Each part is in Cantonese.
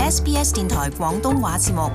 SBS 電台廣東話節目。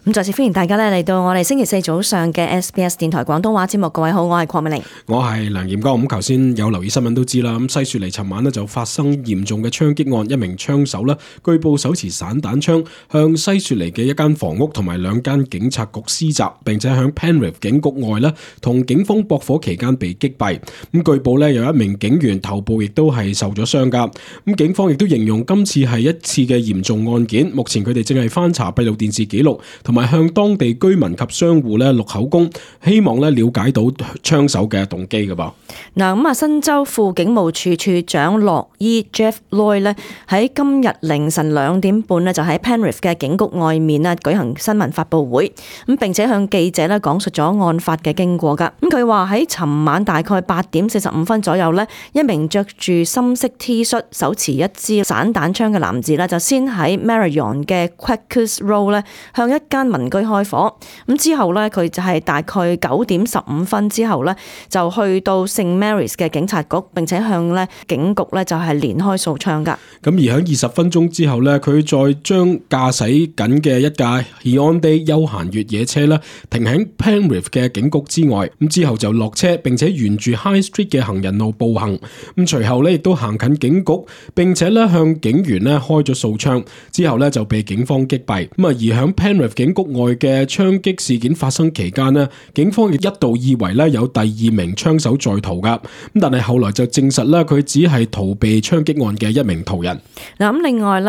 咁再次歡迎大家嚟到我哋星期四早上嘅 SBS 電台廣東話節目。各位好，我係鄺美玲，我係梁炎光。咁頭先有留意新聞都知啦，咁西雪梨尋晚就發生嚴重嘅槍擊案，一名槍手據報手持散彈槍向西雪梨嘅一間房屋同埋兩間警察局施襲，並且響 Penrith 警局外同警方駁火期間被擊斃。咁據報有一名警員頭部亦都係受咗傷噶。咁警方亦都形容今次係一次嘅嚴重案件，目前佢哋正係翻查閉路電視記錄，同埋向當地居民及商戶錄口供，希望了解到槍手嘅動機㗎噃。嗱，新州副警務處處長洛伊 Jeff Lloyd 喺今日凌晨2點半就喺 Penrith 嘅警局外面舉行新聞發佈會，咁並且向記者講述咗案發嘅經過㗎。咁佢話喺尋晚大概8點45分左右一名着住深色 T 恤、手持一支散彈槍嘅男子就先喺 Marion 嘅 Quakers Road 向一間民居開火，咁之後佢就係大概9點15分之後就去到聖 Mary's 嘅警察局，並且向警局就係連開數槍噶。咁而喺20分鐘之後佢再將駕駛緊嘅一架 Hyundai 休閒越野車停喺 Penrith 嘅警局之外，咁之後就落車，並且沿住 High Street 嘅行人路步行，咁隨後亦都行近警局，並且向警員開咗數槍，之後就被警方擊斃。咁而喺 Penrith 警局外嘅槍擊事件發生期間警方亦一度以為有第2名槍手在逃噶，咁但係後來就證實佢只係逃避槍擊案嘅一名途人。嗱，咁另外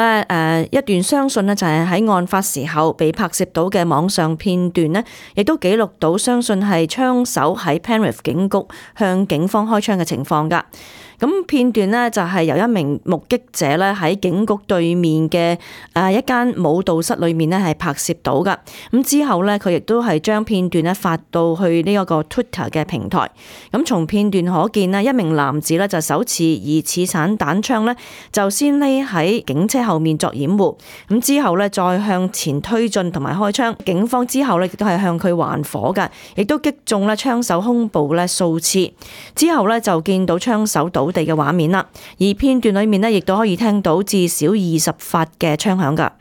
一段相信就係喺案發時候被拍攝到嘅網上片段亦都記錄到相信係槍手喺 Penrith 警局向警方開槍嘅情況噶。咁片段就係由一名目擊者喺警局對面嘅一間舞蹈室裏面係拍攝到噶。咁之後佢亦都係將片段發到去呢一個 Twitter 嘅平台。咁從片段可見一名男子就手持疑似散彈槍就先匿喺警車後面作掩護。咁之後再向前推進同埋開槍。警方之後亦都係向佢還火噶，亦都擊中槍手胸部數次。之後就見到槍手倒地嘅畫面啦，而片段裏面亦都可以聽到至少20發嘅槍響噶。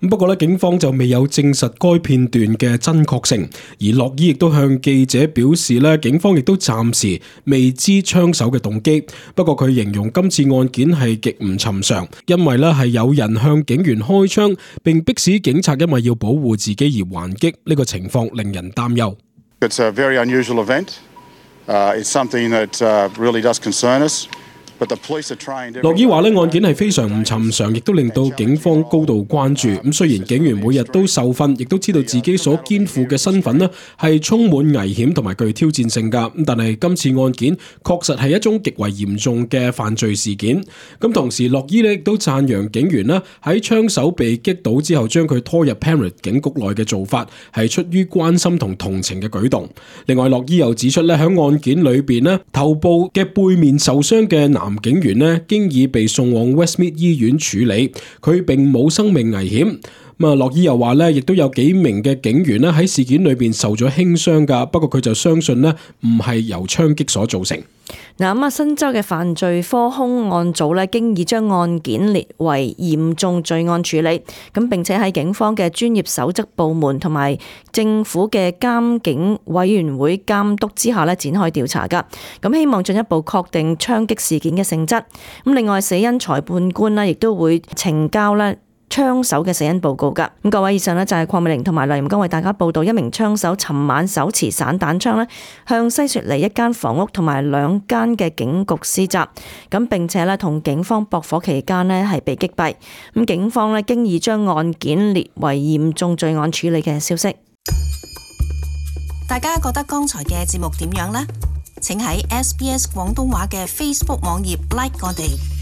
不過警方就未有證實該片段嘅真確性，而洛伊亦都向記者表示警方亦都暫時未知槍手嘅動機。不過佢形容今次案件係極唔尋常，因為係有人向警員開槍，並迫使警察因為要保護自己而還擊，呢個情況令人擔憂。It's a very unusual event. It's something that really does concern us.洛伊話案件係非常唔尋常，亦都令到警方高度關注。咁雖然警員每日都受訓，亦都知道自己所肩負嘅身份係充滿危險同埋具挑戰性㗎，但係今次案件確實係一種極為嚴重嘅犯罪事件。咁同時，洛伊亦都讚揚警員喺槍手被擊倒之後將佢拖入 Penrith 警局內嘅做法係出於關心同同情嘅舉動。另外，洛伊又指出喺案件裏邊頭部嘅背面受傷嘅男警員經已被送往 Westmead 醫院處理，佢並冇生命危險。洛伊又話亦都有幾名嘅警員喺事件裏邊受咗輕傷噶，不過佢就相信唔係由槍擊所造成。嗱，新州嘅犯罪科兇案組經已將案件列為嚴重罪案處理，咁並且喺警方嘅專業守則部門同埋政府嘅監警委員會監督之下展開調查噶，咁希望進一步確定槍擊事件嘅性質。咁另外，死因裁判官亦都會呈交槍手嘅死因報告噶。咁各位，以上就係鄺美玲同埋梁炎光為大家報道一名槍手尋晚手持散彈槍向西雪梨一間房屋同埋2間嘅警局施襲，咁並且同警方駁火期間係被擊斃。咁警方經已將案件列為嚴重罪案處理嘅消息。大家覺得剛才嘅節目點樣呢？請喺 SBS 廣東話嘅 Facebook 網頁 like 我哋。